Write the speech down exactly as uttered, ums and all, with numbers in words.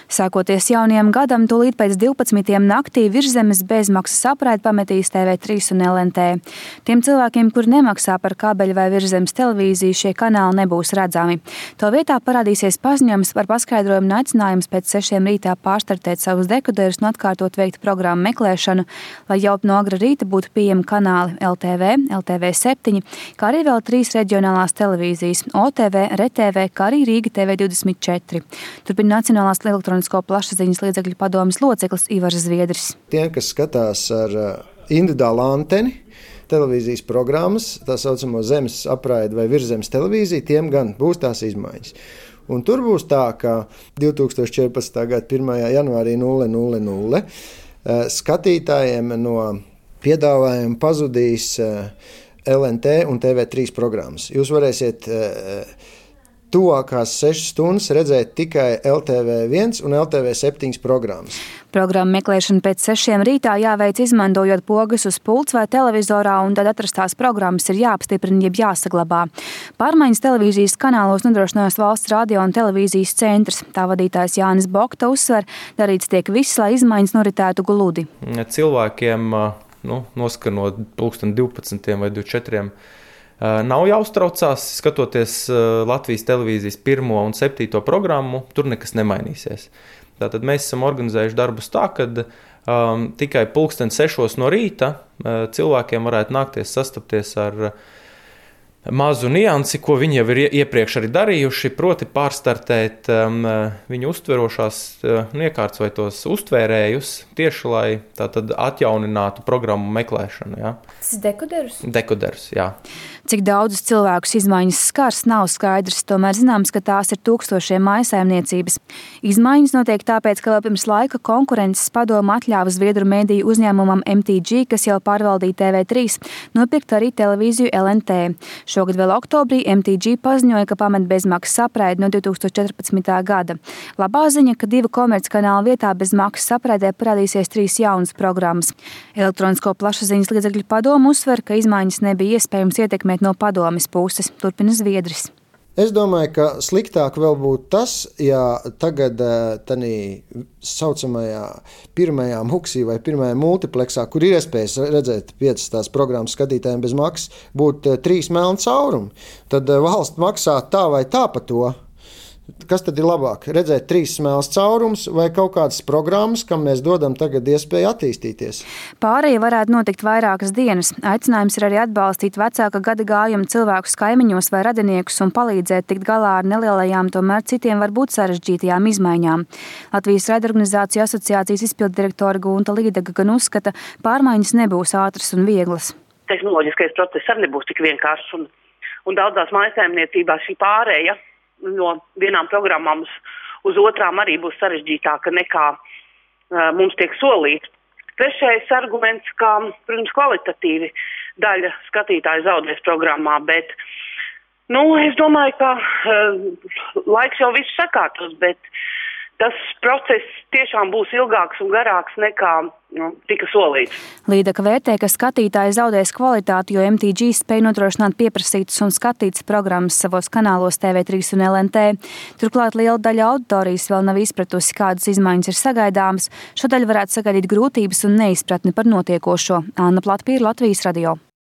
Sākoties jaunajam gadam, tūlīt pēc divpadsmitiem naktī Virszemes bezmaksas apraidi pametīs T V trīs un L N T. Tiem cilvēkiem, kuri nemaksā par kabeļu vai Virszemes televīziju, šie kanāli nebūs redzami. To vietā parādīsies paziņojums par paskaidrojumu un aicinājums pēc sešiem rītā pārstartēt savus dekoderus un atkārtot veikt programmu meklēšanu, lai jau no agra rīta būtu pieejami kanāli L T V, L T V septiņi, kā arī vēl trīs reģionālās televīzijas – O T V, R T V, kā arī Rīga T V divdesmit četri. Turpina Nacionālās elektronisko plašsaziņas līdzekļu padomes loceklis Ivars Zviedris. Tiem, kas skatās ar individuālu anteni, televīzijas programmas, tā saucamo zemes apraidi vai Virszemes televīziju, tiem gan būs tās izmaiņas. Un tur būs tā, ka divtūkstoš četrpadsmitā gada pirmajā janvārī nulle nulle nulle skatītājiem no piedāvājuma pazudīs L N T un T V trīs programmas. Jūs varēsiet tuvākās sešas stundas redzēt tikai L T V viens un L T V septiņas programmas. Programmu meklēšana pēc sešiem rītā jāveic izmantojot pogas uz pults vai televizorā, un tad atrastās programmas ir jāapstiprina, jeb jāsaglabā. Pārmaiņas televīzijas kanālos nodrošinās Valsts radio un televīzijas centrs. Tā vadītājs Jānis Bokta uzsver, darīts tiek viss, lai izmaiņas noritētu gludi. Cilvēkiem nu, noskanot pulksten divpadsmitiem vai divdesmit četriem nav jāuztraucās, skatoties Latvijas televīzijas pirmo un septīto programmu, tur nekas nemainīsies. Tātad mēs esam organizējuši darbus tā, ka um, tikai pulksten sešos no rīta uh, cilvēkiem varētu nākties sastapties ar mazu niansi, ko viņi jau ir iepriekš arī darījuši, proti pārstartēt um, viņu uztverošās uh, iekārtas vai tos uztvērējus tieši, lai tātad atjauninātu programmu meklēšanu. Ja. Tas ir dekoderus? Dekoderus, jā. Cik daudzus cilvēkus izmaiņas skars, nav skaidrs, tomēr zināms, ka tās ir tūkstošiem mājsaimniecības. Izmaiņas notiek tāpēc, ka vēl pirms laika konkurences padome atļāva Zviedru mediju uzņēmumam M T G, kas jau pārvaldīja T V trīs, nopirkt arī televīziju L N T. Šogad vēl oktobrī M T G paziņoja, ka pamet bezmaksas apraidi no divtūkstoš četrpadsmitā gada. Labā ziņa, ka divu komerckanālu vietā bez maksas apraidē parādīsies trīs jaunas programmas. Elektronisko plašsaziņas līdzekļu padome uzsver, ka izmaiņas nebija iespējams ietekmēt no padomes puses, turpina Zviedris. Es domāju, ka sliktāk vēl būtu tas, ja tagad tanī saucamajā pirmajā muksī vai pirmajā multipleksā, kur ir iespējas redzēt piecas tās programmas skatītājiem bez maksas, būtu trīs melni caurumi. Tad valsts maksā tā vai tā par to. Kas tad ir labāk? Redzēt trīs smelus caurumus vai kaut kādas programmas, kam mēs dodam tagad iespēju attīstīties? Pārējie varētu notikt vairākas dienas. Aicinājums ir arī atbalstīt vecāka gada gājuma cilvēkus kaimiņos vai radiniekus un palīdzēt tikt galā ar nelielajām, tomēr citiem varbūt sarežģītajām izmaiņām. Latvijas raidorganizāciju asociācijas izpilddirektora Gunta Līdaga gan uzskata, pārmaiņas nebūs ātras un vieglas. Tehnoloģiskais process arī nebūs tik vienkāršs un, un daudzās mājsaimniecībās šī pārēja no vienām programmām uz, uz otrām arī būs sarežģītāka nekā uh, mums tiek solīts. Trešais arguments, ka, protams, kvalitatīvi daļa skatītāju zaudēs programmā, bet, nu, es domāju, ka uh, laiks jau viss sakārtos, bet tas process tiešām būs ilgāks un garāks nekā nu, tika solīts. Līdaka vērtē, ka skatītāji zaudēs kvalitāti, jo M T G spēj nodrošināt pieprasītas un skatītas programmas savos kanālos T V trīs un L N T. Turklāt liela daļa auditorijas vēl nav izpratusi, kādas izmaiņas ir sagaidāmas. Šo daļu varētu sagaidīt grūtības un neizpratni par notiekošo. Anna Platpīra, Latvijas radio.